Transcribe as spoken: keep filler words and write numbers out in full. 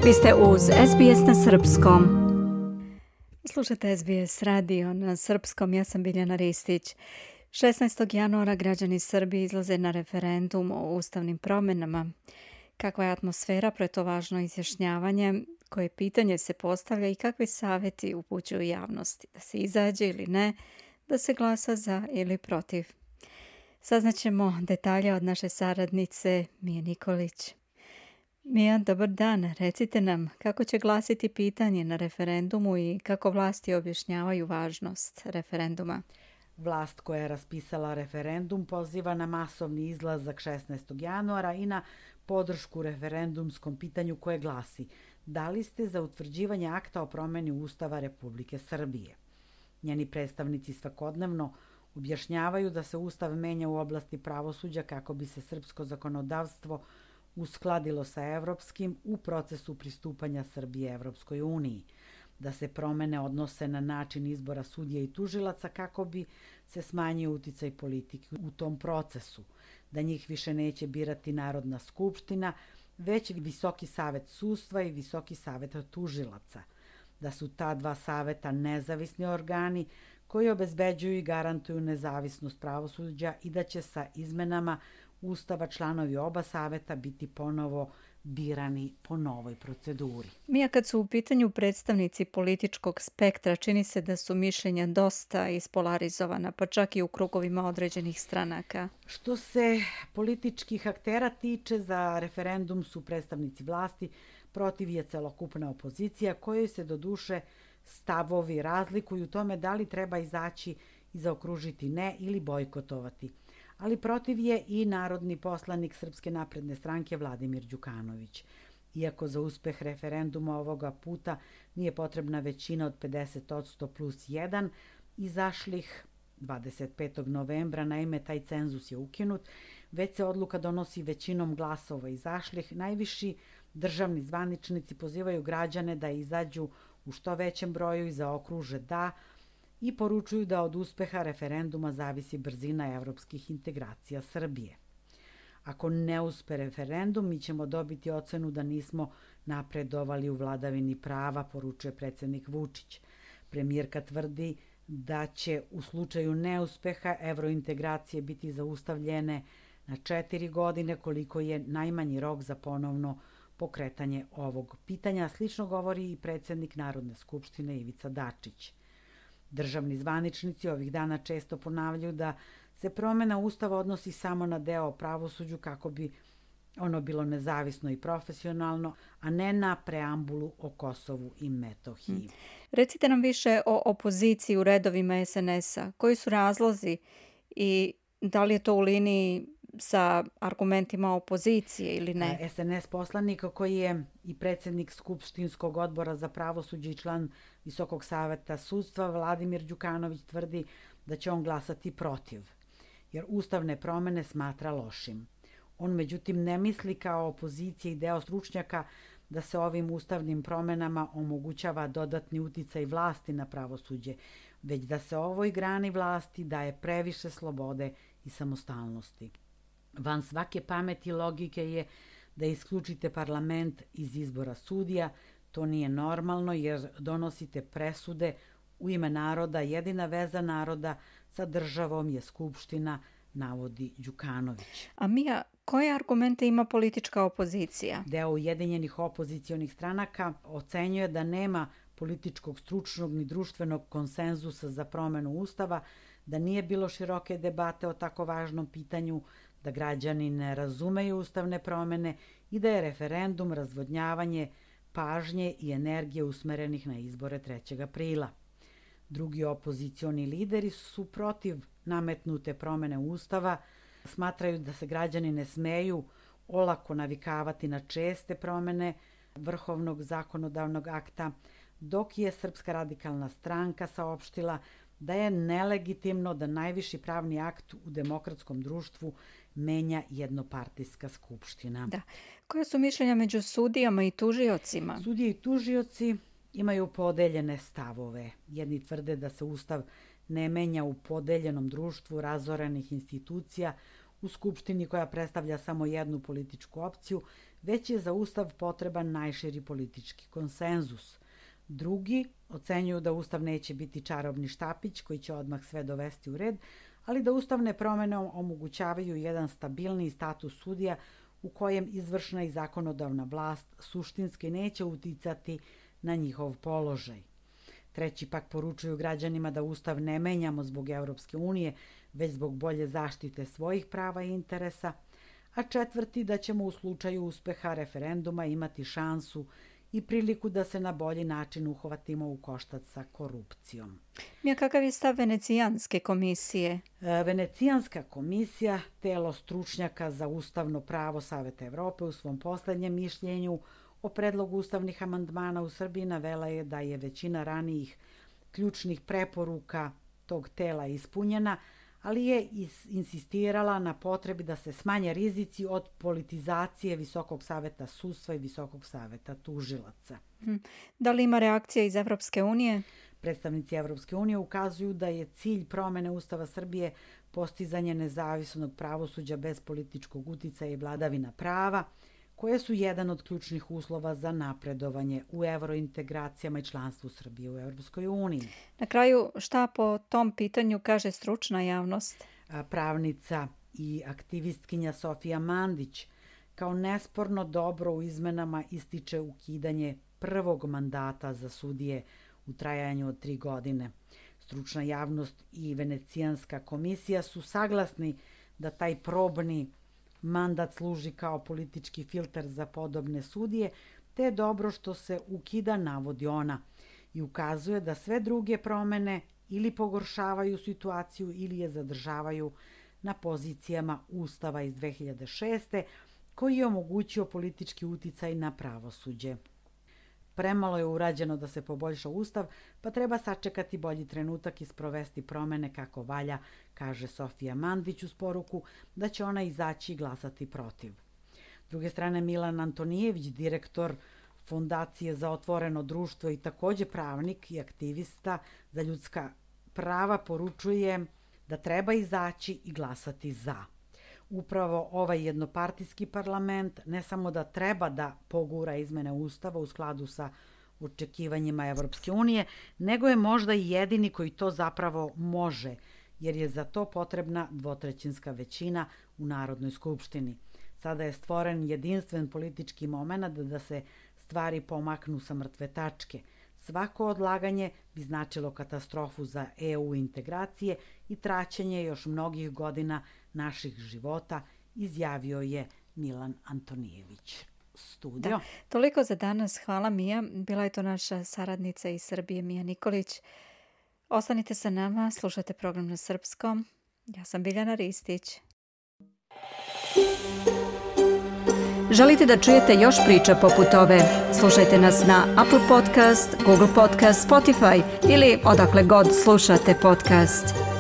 Vi ste uz S B S na srpskom. Slušate S B S radio na srpskom, ja sam Biljana Ristić. šesnaestog januara građani Srbije izlaze na referendum o ustavnim promjenama. Kakva je atmosfera pred to važno izjašnjavanje, koje pitanje se postavlja i kakvi savjeti upućuju javnosti, da se izađe ili ne, da se glasa za ili protiv. Saznaćemo detalje od naše saradnice Mije Nikolić. Mija, dobar dan. Recite nam kako će glasiti pitanje na referendumu i kako vlasti objašnjavaju važnost referenduma. Vlast koja je raspisala referendum poziva na masovni izlazak šesnaestog januara i na podršku referendumskom pitanju koje glasi: da li ste za utvrđivanje akta o promjeni Ustava Republike Srbije? Njeni predstavnici svakodnevno objašnjavaju da se Ustav menja u oblasti pravosuđa kako bi se srpsko zakonodavstvo uskladilo sa evropskim u procesu pristupanja Srbije Evropskoj uniji, da se promene odnose na način izbora sudija i tužilaca kako bi se smanjio uticaj politike u tom procesu, da njih više neće birati Narodna skupština, već Visoki savet sudstva i Visoki savet tužilaca, da su ta dva saveta nezavisni organi koji obezbeđuju i garantuju nezavisnost pravosuđa i da će sa izmenama Ustava članovi oba saveta biti ponovo birani po novoj proceduri. Mija, kad su u pitanju predstavnici političkog spektra, čini se da su mišljenja dosta ispolarizovana, pa čak i u krugovima određenih stranaka. Što se političkih aktera tiče, za referendum su predstavnici vlasti, protiv je celokupna opozicija, kojoj se doduše stavovi razlikuju u tome da li treba izaći i zaokružiti ne ili bojkotovati. Ali protiv je i narodni poslanik Srpske napredne stranke Vladimir Đukanović. Iako za uspeh referenduma ovoga puta nije potrebna većina od pedeset posto plus jedan, izašlih dvadeset petog novembra, naime taj cenzus je ukinut, već se odluka donosi većinom glasova izašlih. Najviši državni zvaničnici pozivaju građane da izađu u što većem broju i zaokruže da, i poručuju da od uspeha referenduma zavisi brzina evropskih integracija Srbije. Ako ne uspe referendum, mi ćemo dobiti ocenu da nismo napredovali u vladavini prava, poručuje predsjednik Vučić. Premijerka tvrdi da će u slučaju neuspeha evrointegracije biti zaustavljene na četiri godine, koliko je najmanji rok za ponovno pokretanje ovog pitanja. Slično govori i predsjednik Narodne skupštine Ivica Dačić. Državni zvaničnici ovih dana često ponavljaju da se promjena Ustava odnosi samo na deo o pravosuđu kako bi ono bilo nezavisno i profesionalno, a ne na preambulu o Kosovu i Metohiji. Hmm. Recite nam više o opoziciji u redovima S N S-a. Koji su razlozi i da li je to u liniji sa argumentima opozicije ili ne? S N S poslanik koji je i predsjednik Skupštinskog odbora za pravosuđe i član Visokog saveta sudstva Vladimir Đukanović tvrdi da će on glasati protiv, jer ustavne promjene smatra lošim. On međutim ne misli kao opozicija i deo stručnjaka da se ovim ustavnim promjenama omogućava dodatni uticaj vlasti na pravosuđe, već da se ovoj grani vlasti daje previše slobode i samostalnosti. Van svake pameti i logike je da isključite parlament iz izbora sudija. To nije normalno jer donosite presude u ime naroda. Jedina veza naroda sa državom je skupština, navodi Đukanović. A Mija, koje argumente ima politička opozicija? Deo ujedinjenih opozicionih stranaka ocenjuje da nema političkog, stručnog ni društvenog konsenzusa za promjenu Ustava, da nije bilo široke debate o tako važnom pitanju, da građani ne razumeju ustavne promjene i da je referendum razvodnjavanje pažnje i energije usmerenih na izbore trećeg aprila. Drugi opozicioni lideri su protiv nametnute promjene Ustava, smatraju da se građani ne smeju olako navikavati na česte promjene vrhovnog zakonodavnog akta, dok je Srpska radikalna stranka saopštila da je nelegitimno da najviši pravni akt u demokratskom društvu menja jednopartijska skupština. Da. Koje su mišljenja među sudijama i tužiocima? Sudije i tužioci imaju podeljene stavove. Jedni tvrde da se Ustav ne menja u podeljenom društvu razorenih institucija, u skupštini koja predstavlja samo jednu političku opciju, već je za Ustav potreban najširi politički konsenzus. Drugi ocenjuju da Ustav neće biti čarobni štapić koji će odmah sve dovesti u red, ali da ustavne promjene omogućavaju jedan stabilniji status sudija u kojem izvršna i zakonodavna vlast suštinski neće uticati na njihov položaj. Treći pak poručuju građanima da Ustav ne menjamo zbog Evropske unije, već zbog bolje zaštite svojih prava i interesa, a četvrti da ćemo u slučaju uspeha referenduma imati šansu i priliku da se na bolji način uhvatimo u koštac sa korupcijom. Mija, kakav je stav Venecijanske komisije? Venecijanska komisija, telo stručnjaka za ustavno pravo Saveta Evrope, u svom poslednjem mišljenju o predlogu ustavnih amandmana u Srbiji navela je da je većina ranijih ključnih preporuka tog tela ispunjena, ali je insistirala na potrebi da se smanje rizici od politizacije Visokog saveta sudstva i Visokog saveta tužilaca. Da li ima reakcija iz Evropske unije? Predstavnici Evropske unije ukazuju da je cilj promene Ustava Srbije postizanje nezavisnog pravosuđa bez političkog uticaja i vladavina prava, koje su jedan od ključnih uslova za napredovanje u evrointegracijama i članstvu Srbije u Evropskoj uniji. Na kraju, šta po tom pitanju kaže stručna javnost? Pravnica i aktivistkinja Sofija Mandić kao nesporno dobro u izmenama ističe ukidanje prvog mandata za sudije u trajanju od tri godine. Stručna javnost i Venecijanska komisija su saglasni da taj probni mandat služi kao politički filter za podobne sudije, te je dobro što se ukida, navodi ona, i ukazuje da sve druge promene ili pogoršavaju situaciju ili je zadržavaju na pozicijama Ustava iz dve hiljade šeste. koji je omogućio politički uticaj na pravosuđe. Premalo je urađeno da se poboljša Ustav, pa treba sačekati bolji trenutak i sprovesti promene kako valja, kaže Sofija Mandić uz poruku da će ona izaći i glasati protiv. S druge strane, Milan Antonijević, direktor Fondacije za otvoreno društvo i takođe pravnik i aktivista za ljudska prava, poručuje da treba izaći i glasati za. Upravo ovaj jednopartijski parlament ne samo da treba da pogura izmene Ustava u skladu sa očekivanjima Evropske unije, nego je možda i jedini koji to zapravo može, jer je za to potrebna dvotrećinska većina u Narodnoj skupštini. Sada je stvoren jedinstven politički moment da se stvari pomaknu sa mrtve tačke. Svako odlaganje bi značilo katastrofu za E U integracije i traćenje još mnogih godina naših života, izjavio je Milan Antonijević. Studio. Da, toliko za danas. Hvala, Mija. Bila je to naša saradnica iz Srbije, Mija Nikolić. Ostanite sa nama, slušajte program na srpskom. Ja sam Biljana Ristić. Želite da čujete još priča poput ove? Slušajte nas na Apple Podcast, Google Podcast, Spotify ili odakle god slušate podcast.